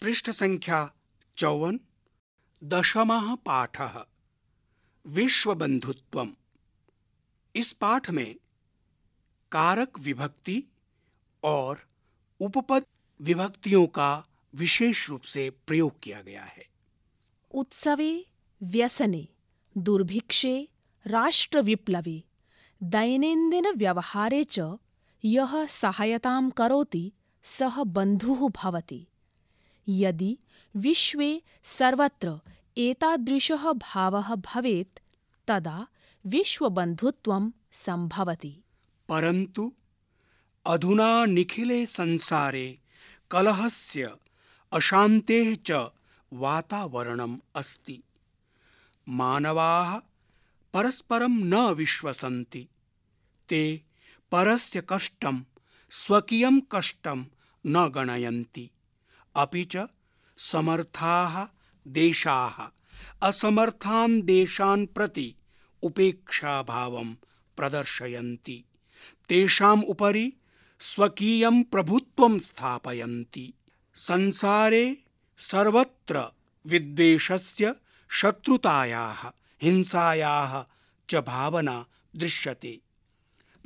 पृष्ठ संख्या 54, 10वां पाठः विश्व बंधुत्वम। इस पाठ में कारक विभक्ति और उपपद विभक्तियों का विशेष रूप से प्रयोग किया गया है। उत्सवे, व्यसने, दुर्भिक्षे, राष्ट्रविप्लवे, दैनन्दिनव्यवहारे च यः सहायतां करोति सः बन्धुः भवति। यदि विश्वे सर्वत्र एतादृशः भावः भवेत् तदा विश्वबन्धुत्वं सम्भवति। परन्तु अधुना निखिले संसारे कलहस्य, अशान्तेः च वातावरणम् अस्ति। मानवाः परस्परं न विश्वसन्ति। ते परस्य कष्टं स्वकीयं कष्टं न गणयन्ति। अपि च समर्थाः देशाः असमर्थान् देशान् प्रति उपेक्षाभावं प्रदर्शयन्ति। तेषाम् उपरि स्वकीयं प्रभुत्वं स्थापयन्ति। संसारे सर्वत्र विद्वेषस्य, शत्रुतायाः, हिंसायाः च भावना दृश्यते।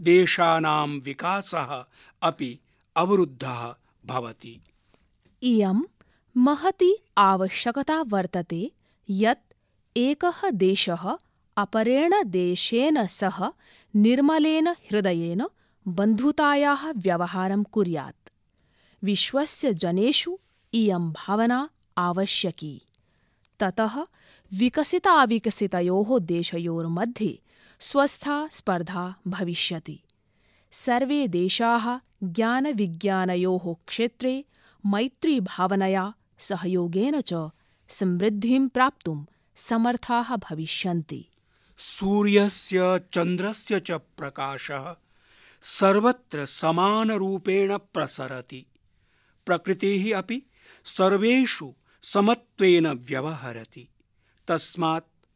देशानां विकासः अपि अवरुद्धः भवति। इयं महती आवश्यकता वर्तते यत् एकः देशः अपरेण देशेन सह निर्मलेन हृदयेन बन्धुतायाः व्यवहारं कुर्यात्। विश्वस्य जनेषु इयं भावना आवश्यकी। ततः विकसिताविकसितयोः देशयोर्मध्ये स्वस्था स्पर्धा भविष्यति। सर्वे देशाः ज्ञानविज्ञानयोः क्षेत्रे मैत्रीभावनया सहयोगेन च समृद्धिं प्राप्तुं समर्थाः भविष्यन्ति। सूर्यस्य, चन्द्रस्य च प्रकाशः सर्वत्र समानरूपेण प्रसरति। प्रकृतिः अपि सर्वेषु समत्वेन व्यवहरति। तस्मात्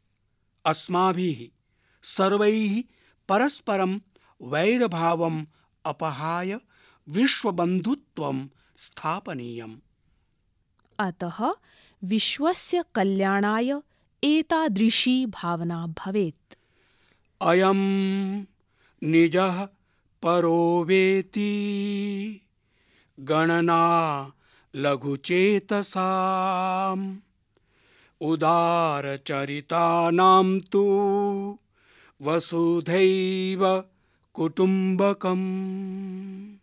अस्माभिः सर्वैः परस्परं वैरभावम् अपहाय विश्वबन्धुत्वं स्थापनीयम्। अतः विश्वस्य कल्याणाय एतादृशी भावना भवेत्। अयं निजः परो वेति गणना लघुचेतसाम् उदारचरितानां तु वसुधैव कुटुम्बकम्।